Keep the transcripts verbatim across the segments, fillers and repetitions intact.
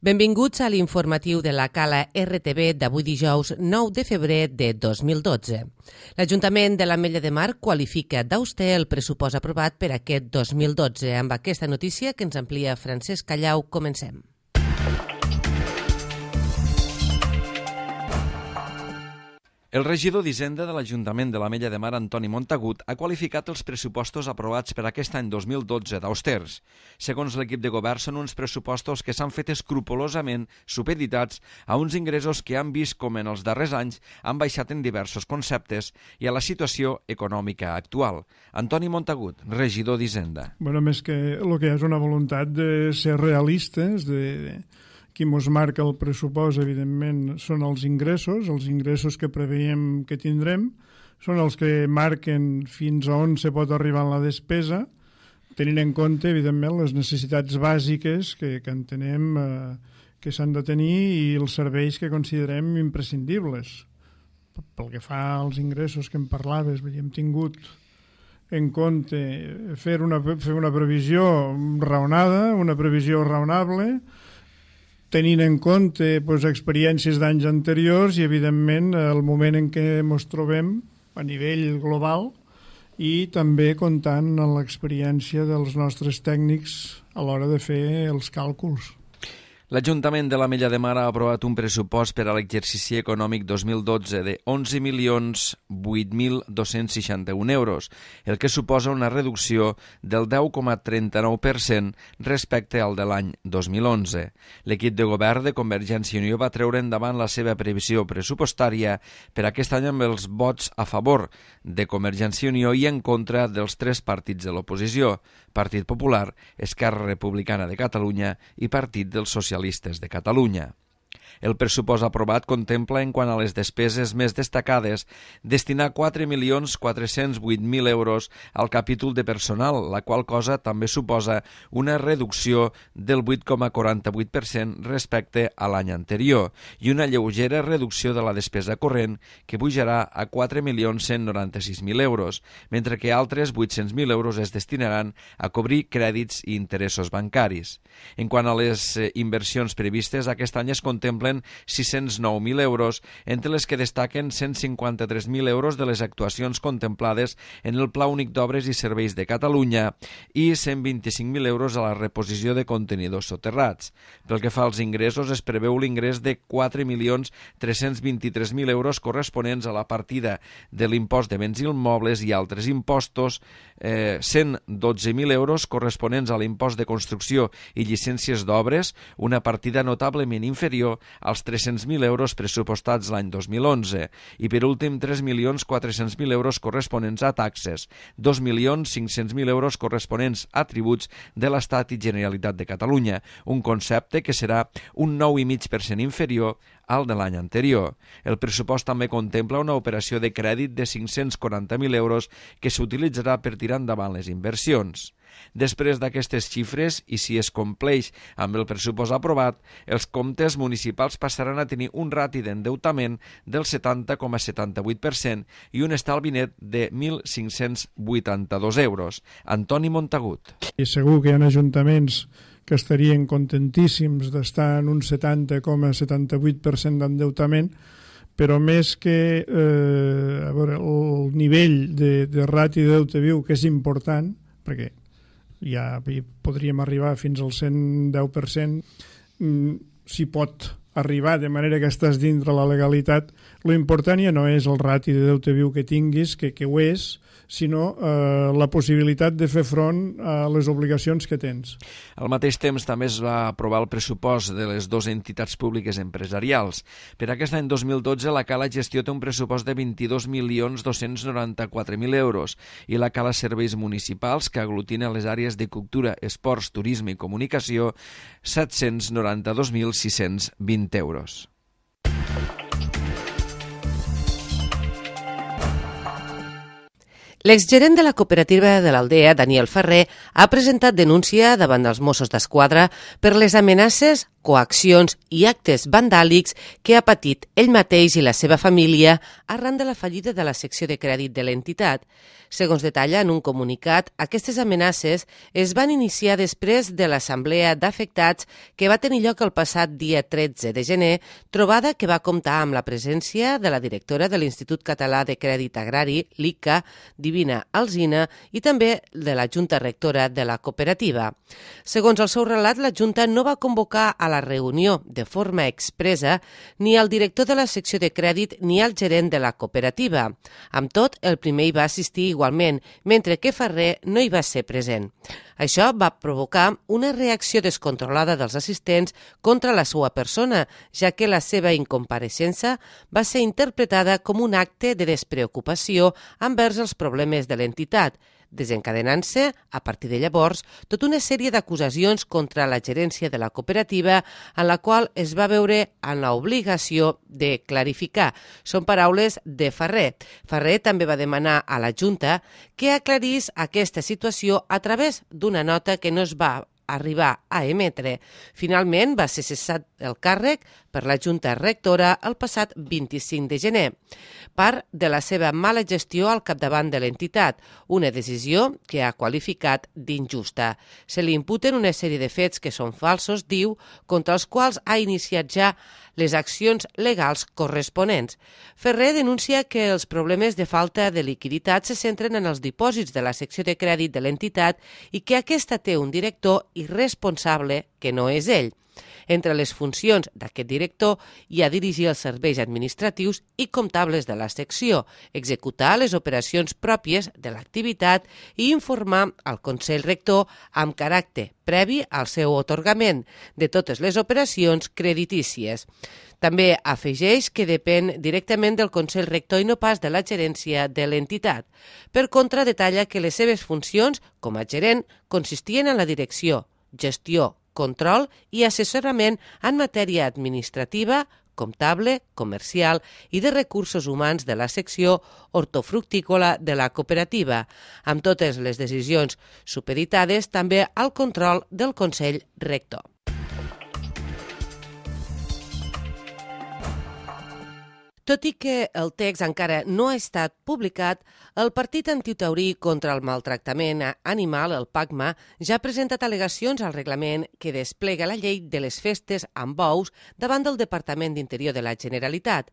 Benvinguts a l'informatiu de la Cala R T V d'avui dijous nou de febrer de dos mil dotze. L'Ajuntament de l'Ametlla de Mar qualifica d'auster el pressupost aprovat per aquest dos mil dotze. Amb aquesta notícia que ens amplia Francesc Callau, comencem. El regidor d'Hisenda de l'Ajuntament de l'Ametlla de Mar, Antoni Montagut, ha qualificat els pressupostos aprovats per aquest any dos mil dotze d'austers. Segons l'equip de govern, són uns pressupostos que s'han fet escrupolosament supeditats a uns ingressos que han vist com en els darrers anys han baixat en diversos conceptes i a la situació econòmica actual. Antoni Montagut, regidor d'Hisenda. Bueno, més que el que és una voluntat de ser realistes, de... Qui ens marca el pressupost, evidentment, són els ingressos, els ingressos que preveiem que tindrem, són els que marquen fins a on se pot arribar en la despesa, tenint en compte, evidentment, les necessitats bàsiques que, que entenem eh, que s'han de tenir i els serveis que considerem imprescindibles. Pel que fa als ingressos que em parlaves, hem tingut en compte fer una, fer una previsió raonada, una previsió raonable, tenint en compte doncs, experiències d'anys anteriors i, evidentment, el moment en què ens trobem a nivell global i també comptant amb l'experiència dels nostres tècnics a l'hora de fer els càlculs. L'Ajuntament de l'Ametlla de Mar ha aprovat un pressupost per a l'exercici econòmic dos mil dotze de onze milions vuit mil dos-cents seixanta-un euros, el que suposa una reducció del deu coma trenta-nou per cent respecte al de l'any dos mil onze. L'equip de govern de Convergència i Unió va treure endavant la seva previsió pressupostària per aquest any amb els vots a favor de Convergència i Unió i en contra dels tres partits de l'oposició, Partit Popular, Esquerra Republicana de Catalunya i Partit dels Socialistes de Catalunya. El pressupost aprovat contempla, en quant a les despeses més destacades, destinar quatre milions quatre-cents vuit mil euros al capítol de personal, la qual cosa també suposa una reducció del vuit coma quaranta-vuit per cent respecte a l'any anterior i una lleugera reducció de la despesa corrent que pujarà a quatre milions cent noranta-sis mil euros, mentre que altres vuit-cents mil euros es destinaran a cobrir crèdits i interessos bancaris. En quant a les inversions previstes, aquest any es contempla sis-cents nou mil euros, entre les que destaquen cent cinquanta-tres mil euros de les actuacions contemplades en el Pla Únic d'Obres i Serveis de Catalunya i cent vint-i-cinc mil euros a la reposició de contenidors soterrats. Pel que fa als ingressos, es preveu l'ingrés de quatre milions tres-cents vint-i-tres mil euros corresponents a la partida de l'impost de béns immobles i altres impostos, eh, cent dotze mil euros corresponents a l'impost de construcció i llicències d'obres, una partida notablement inferior als tres-cents mil euros pressupostats l'any dos mil onze i, per últim, tres milions quatre-cents mil euros corresponents a taxes, dos milions cinc-cents mil euros corresponents a tributs de l'Estat i Generalitat de Catalunya, un concepte que serà un nou coma cinc per cent inferior al de l'any anterior. El pressupost també contempla una operació de crèdit de cinc-cents quaranta mil euros que s'utilitzarà per tirar endavant les inversions. Després d'aquestes xifres, i si es compleix amb el pressupost aprovat, els comptes municipals passaran a tenir un rati d'endeutament del setanta coma setanta-vuit per cent i un estalvi net de mil cinc-cents vuitanta-dos euros. Antoni Montagut. I segur que hi ha ajuntaments que estarien contentíssims d'estar en un setanta coma setanta-vuit per cent d'endeutament, però més que eh, a veure, el nivell de, de rati de deute viu, que és important, perquè ja podríem arribar fins al cent deu per cent, s'hi pot arribar de manera que estàs dintre la legalitat. Lo important ja no és el rati de deute viu que tinguis, que, que ho és, sinó eh, la possibilitat de fer front a les obligacions que tens. Al mateix temps també es va aprovar el pressupost de les dues entitats públiques empresarials. Per aquest any dos mil dotze la Cala Gestió té un pressupost de vint-i-dos milions dos-cents noranta-quatre mil euros i la Cala Serveis Municipals, que aglutina les àrees de cultura, esports, turisme i comunicació, set-cents noranta-dos mil sis-cents vint euros. L'exgerent de la cooperativa de l'Aldea, Daniel Ferrer, ha presentat denúncia davant dels Mossos d'Esquadra per les amenaces coaccions i actes vandàlics que ha patit ell mateix i la seva família arran de la fallida de la secció de crèdit de l'entitat. Segons detalla en un comunicat, aquestes amenaces es van iniciar després de l'assemblea d'afectats que va tenir lloc el passat dia tretze de gener, trobada que va comptar amb la presència de la directora de l'Institut Català de Crèdit Agrari, l'I C A, Divina Alsina, i també de la Junta Rectora de la cooperativa. Segons el seu relat, la Junta no va convocar a la reunió de forma expressa ni al director de la secció de crèdit ni al gerent de la cooperativa. Amb tot, el primer hi va assistir igualment, mentre que Ferrer no hi va ser present. Això va provocar una reacció descontrolada dels assistents contra la seva persona, ja que la seva incompareixença va ser interpretada com un acte de despreocupació envers els problemes de l'entitat, desencadenant-se, a partir de llavors, tota una sèrie d'acusacions contra la gerència de la cooperativa en la qual es va veure en l'obligació de clarificar. Són paraules de Ferrer. Ferrer també va demanar a la Junta que aclarís aquesta situació a través d'una nota que no es va arribar a emetre. Finalment va ser cessat el càrrec per la Junta Rectora el passat vint-i-cinc de gener, part de la seva mala gestió al capdavant de l'entitat, una decisió que ha qualificat d'injusta. Se li imputen una sèrie de fets que són falsos, diu, contra els quals ha iniciat ja les accions legals corresponents. Ferrer denuncia que els problemes de falta de liquiditat se centren en els dipòsits de la secció de crèdit de l'entitat i que aquesta té un director irresponsable que no és ell. Entre les funcions d'aquest director hi ha dirigir els serveis administratius i comptables de la secció, executar les operacions pròpies de l'activitat i informar al Consell Rector amb caràcter previ al seu atorgament de totes les operacions creditícies. També afegeix que depèn directament del Consell Rector i no pas de la gerència de l'entitat. Per contra, detalla que les seves funcions com a gerent consistien en la direcció, gestió, control i assessorament en matèria administrativa, comptable, comercial i de recursos humans de la secció hortofructícola de la cooperativa, amb totes les decisions supeditades també al control del Consell Rector. Tot i que el text encara no ha estat publicat, el Partit Antitaurí contra el Maltractament Animal, el PACMA, ja ha presentat al·legacions al reglament que desplega la llei de les festes amb bous davant del Departament d'Interior de la Generalitat.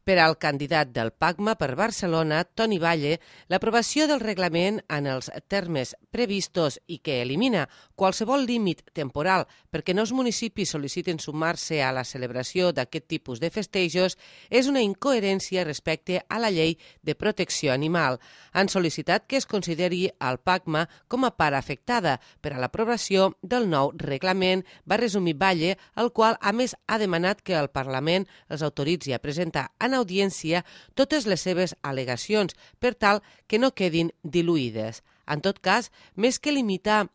Per al candidat del PACMA per Barcelona, Toni Valle, l'aprovació del reglament en els termes previstos i que elimina qualsevol límit temporal perquè nous municipis sol·liciten sumar-se a la celebració d'aquest tipus de festejos és una incoherència respecte a la llei de protecció animal. Han sol·licitat que es consideri el PACMA com a part afectada per a l'aprovació del nou reglament, va resumir Valle, el qual a més ha demanat que el Parlament els autoritzi a presentar en audiència totes les seves al·legacions per tal que no quedin diluïdes. En tot cas, més que limitar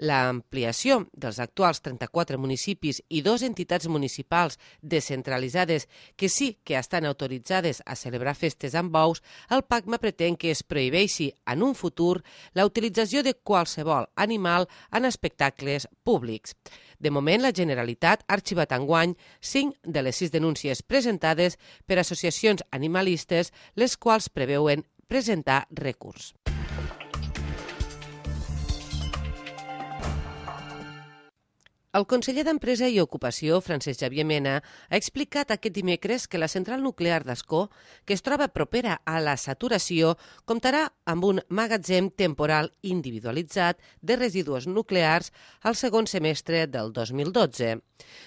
l'ampliació dels actuals trenta-quatre municipis i dues entitats municipals descentralitzades que sí que estan autoritzades a celebrar festes amb bous, el PACMA pretén que es prohibeixi en un futur la utilització de qualsevol animal en espectacles públics. De moment, la Generalitat ha arxivat enguany cinc de les sis denúncies presentades per associacions animalistes, les quals preveuen presentar recurs. El conseller d'Empresa i Ocupació, Francesc Xavier Mena, ha explicat aquest dimecres que la central nuclear d'Ascó, que es troba propera a la saturació, comptarà amb un magatzem temporal individualitzat de residus nuclears al segon semestre del dos mil dotze.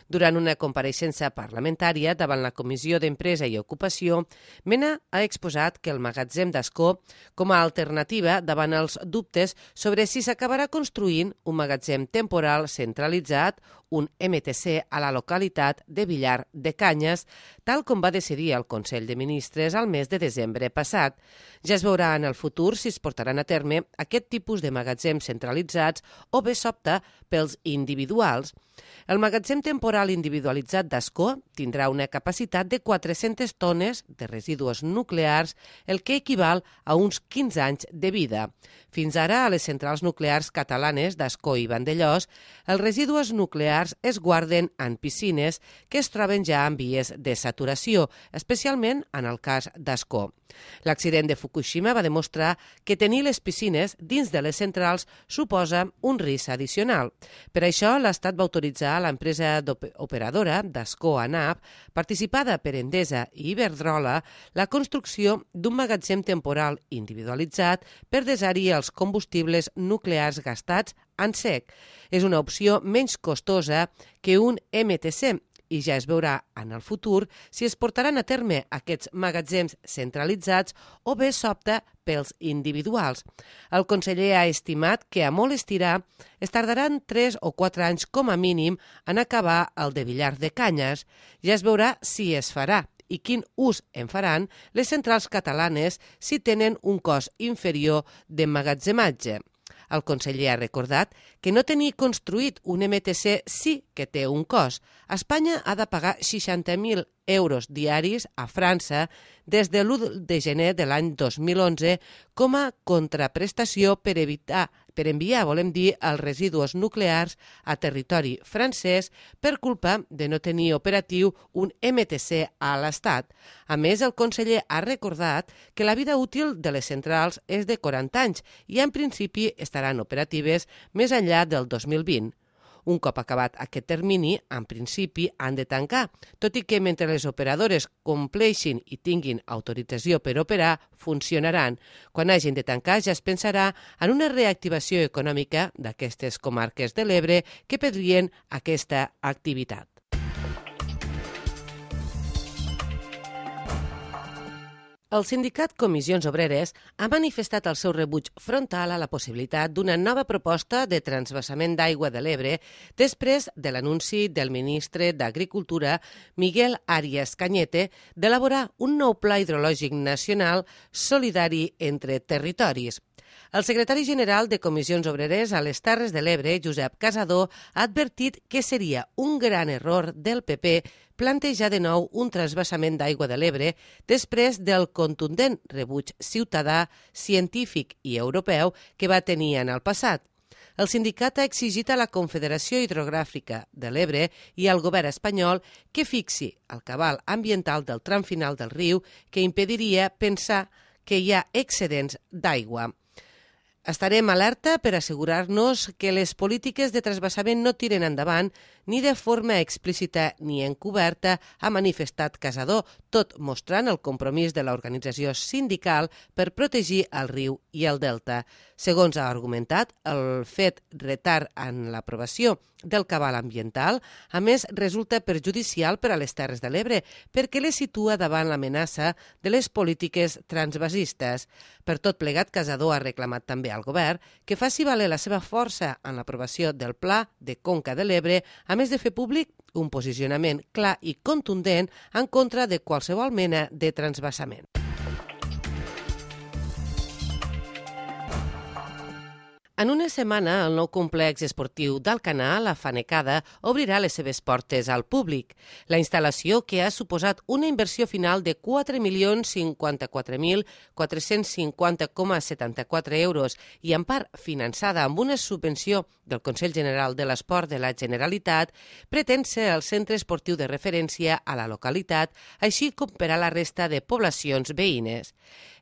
Durant una compareixença parlamentària davant la Comissió d'Empresa i Ocupació, Mena ha exposat que el magatzem d'Ascó, com a alternativa davant els dubtes sobre si s'acabarà construint un magatzem temporal centralitzat, un M T C a la localitat de Villar de Canyes, tal com va decidir el Consell de Ministres al mes de desembre passat. Ja es veurà en el futur si es portaran a terme aquest tipus de magatzems centralitzats o bé s'opta pels individuals. El magatzem temporal individualitzat d'Ascó tindrà una capacitat de quatre-centes tones de residus nuclears, el que equival a uns quinze anys de vida. Fins ara, a les centrals nuclears catalanes d'Ascó i Vandellòs, els residus nuclears es guarden en piscines que es troben ja en vies de saturació, especialment en el cas d'Ascó. L'accident de Fukushima va demostrar que tenir les piscines dins de les centrals suposa un risc addicional. Per això, l'Estat va autoritzar a l'empresa operadora d'Ascó ANAP, participada per Endesa i Iberdrola, la construcció d'un magatzem temporal individualitzat per desar-hi els combustibles nuclears gastats en sec. És una opció menys costosa que un M T C, i ja es veurà en el futur si es portaran a terme aquests magatzems centralitzats o bé s'opta pels individuals. El conseller ha estimat que a molt estirar es tardaran tres o quatre anys com a mínim en acabar el de Villar de Canyes. Ja es veurà si es farà i quin ús en faran les centrals catalanes si tenen un cost inferior d'emmagatzematge. El conseller ha recordat que no tenir construït un M T C sí que té un cost. Espanya ha de pagar seixanta mil euros diaris a França des de l'u de gener de l'any dos mil onze com a contraprestació per evitar per enviar, volem dir, els residus nuclears a territori francès per culpa de no tenir operatiu un M T C a l'Estat. A més, el conseller ha recordat que la vida útil de les centrals és de quaranta anys i en principi estaran operatives més enllà del dos mil vint. Un cop acabat aquest termini, en principi han de tancar, tot i que mentre les operadores compleixin i tinguin autorització per operar, funcionaran. Quan hagin de tancar ja es pensarà en una reactivació econòmica d'aquestes comarques de l'Ebre que perdrien aquesta activitat. El sindicat Comissions Obreres ha manifestat el seu rebuig frontal a la possibilitat d'una nova proposta de transvasament d'aigua de l'Ebre després de l'anunci del ministre d'Agricultura, Miguel Arias Cañete, d'elaborar un nou pla hidrològic nacional solidari entre territoris. El secretari general de Comissions Obreres a les Terres de l'Ebre, Josep Casador, ha advertit que seria un gran error del P P plantejar de nou un transvasament d'aigua de l'Ebre després del contundent rebuig ciutadà, científic i europeu que va tenir en el passat. El sindicat ha exigit a la Confederació Hidrogràfica de l'Ebre i al govern espanyol que fixi el cabal ambiental del tram final del riu que impediria pensar que hi ha excedents d'aigua. Estarem alerta per assegurar-nos que les polítiques de transvasament no tiren endavant ni de forma explícita ni encoberta, ha manifestat Casador, tot mostrant el compromís de l'organització sindical per protegir el riu i el delta. Segons ha argumentat, el fet retard en l'aprovació del cabal ambiental, a més, resulta perjudicial per a les Terres de l'Ebre perquè les situa davant l'amenaça de les polítiques transvasistes. Per tot plegat, Casador ha reclamat també al govern que faci valer la seva força en l'aprovació del Pla de Conca de l'Ebre, a més de fer públic un posicionament clar i contundent en contra de qualsevol mena de transvasament. En una setmana, el nou complex esportiu d'Alcanar, la Fanecada, obrirà les seves portes al públic. La instal·lació, que ha suposat una inversió final de quatre milions cinquanta-quatre mil quatre-cents cinquanta coma setanta-quatre euros i en part finançada amb una subvenció del Consell General de l'Esport de la Generalitat, pretén ser el centre esportiu de referència a la localitat, així com per a la resta de poblacions veïnes.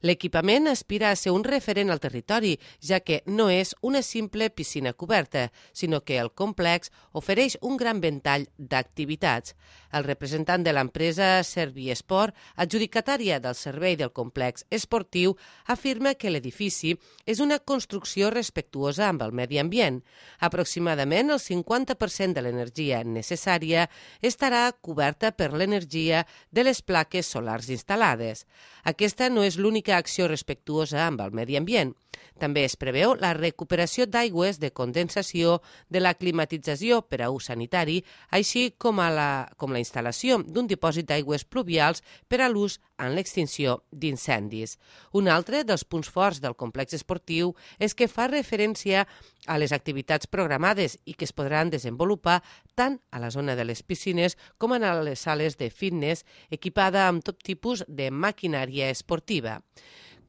L'equipament aspira a ser un referent al territori, ja que no és una simple piscina coberta, sinó que el complex ofereix un gran ventall d'activitats. El representant de l'empresa Serviesport, adjudicatària del servei del complex esportiu, afirma que l'edifici és una construcció respectuosa amb el medi ambient. Aproximadament el cinquanta per cent de l'energia necessària estarà coberta per l'energia de les plaques solars instal·lades. Aquesta no és l'única acció respectuosa amb el medi ambient. També es preveu la recuperació d'aigües de condensació de la climatització per a ús sanitari, així com, a la, com la instal·lació d'un dipòsit d'aigües pluvials per a l'ús en l'extinció d'incendis. Un altre dels punts forts del complex esportiu és que fa referència a les activitats programades i que es podran desenvolupar tant a la zona de les piscines com en les sales de fitness equipada amb tot tipus de maquinària esportiva.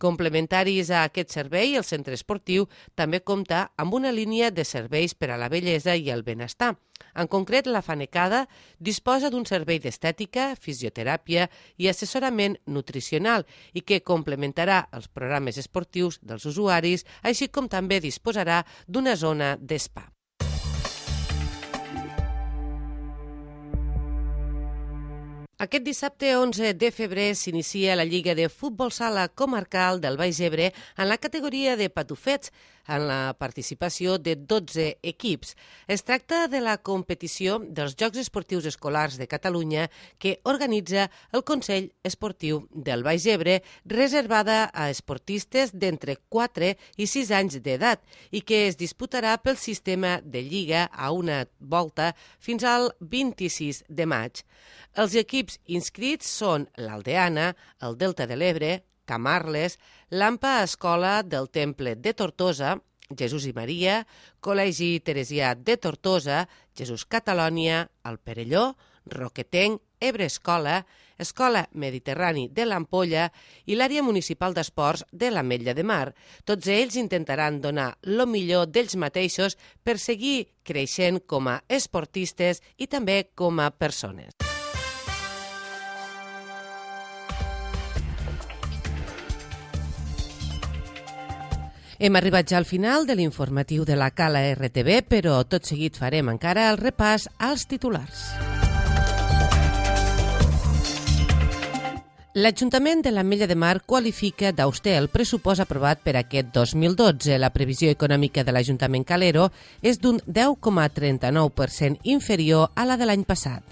Complementaris a aquest servei, el centre esportiu també compta amb una línia de serveis per a la bellesa i el benestar. En concret, la Fanecada disposa d'un servei d'estètica, fisioteràpia i assessorament nutricional i que complementarà els programes esportius dels usuaris, així com també disposarà d'una zona d'espa. Aquest dissabte onze de febrer s'inicia la Lliga de Futbol Sala Comarcal del Baix Ebre en la categoria de patufets, en la participació de dotze equips. Es tracta de la competició dels Jocs Esportius Escolars de Catalunya que organitza el Consell Esportiu del Baix Ebre, reservada a esportistes d'entre quatre i sis anys d'edat i que es disputarà pel sistema de lliga a una volta fins al vint-i-sis de maig. Els equips inscrits són l'Aldeana, el Delta de l'Ebre, Camarles, l'Ampa Escola del Temple de Tortosa, Jesús i Maria, Col·legi Teresià de Tortosa, Jesús Catalònia, el Perelló, Roquetenc, Ebre Escola, Escola Mediterrani de l'Ampolla i l'àrea municipal d'esports de l'Ametlla de Mar. Tots ells intentaran donar el millor d'ells mateixos per seguir creixent com a esportistes i també com a persones. Hem arribat ja al final de l'informatiu de la Cala R T V, però tot seguit farem encara el repàs als titulars. L'Ajuntament de l'Ametlla de Mar qualifica d'auster el pressupost aprovat per aquest dos mil dotze. La previsió econòmica de l'Ajuntament Calero és d'un deu coma trenta-nou per cent inferior a la de l'any passat.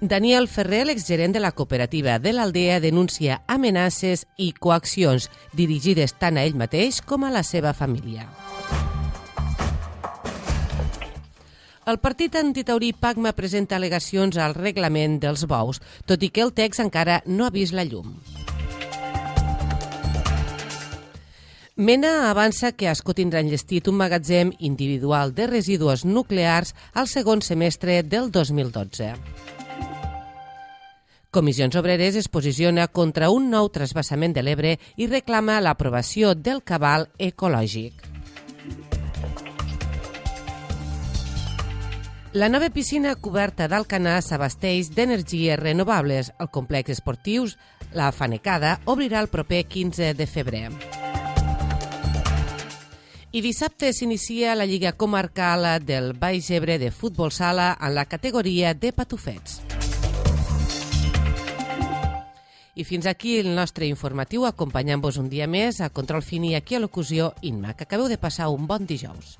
Daniel Ferrer, l'exgerent de la cooperativa de l'Aldea, denuncia amenaces i coaccions dirigides tant a ell mateix com a la seva família. El partit antitaurí Pacma presenta al·legacions al reglament dels bous, tot i que el text encara no ha vist la llum. Mena avança que Ascó tindrà enllestit un magatzem individual de residus nuclears al segon semestre del dos mil dotze. Comissions Obreres es posiciona contra un nou transvasament de l'Ebre i reclama l'aprovació del cabal ecològic. La nova piscina coberta d'Alcanar s'abasteix d'energies renovables. El complex esportiu La Fanecada obrirà el proper quinze de febrer. I dissabte s'inicia la Lliga Comarcal del Baix Ebre de Futbol Sala en la categoria de patufets. I fins aquí el nostre informatiu, acompanyant-vos un dia més a Control Fini, aquí a Locució Inma. Que acabeu de passar un bon dijous.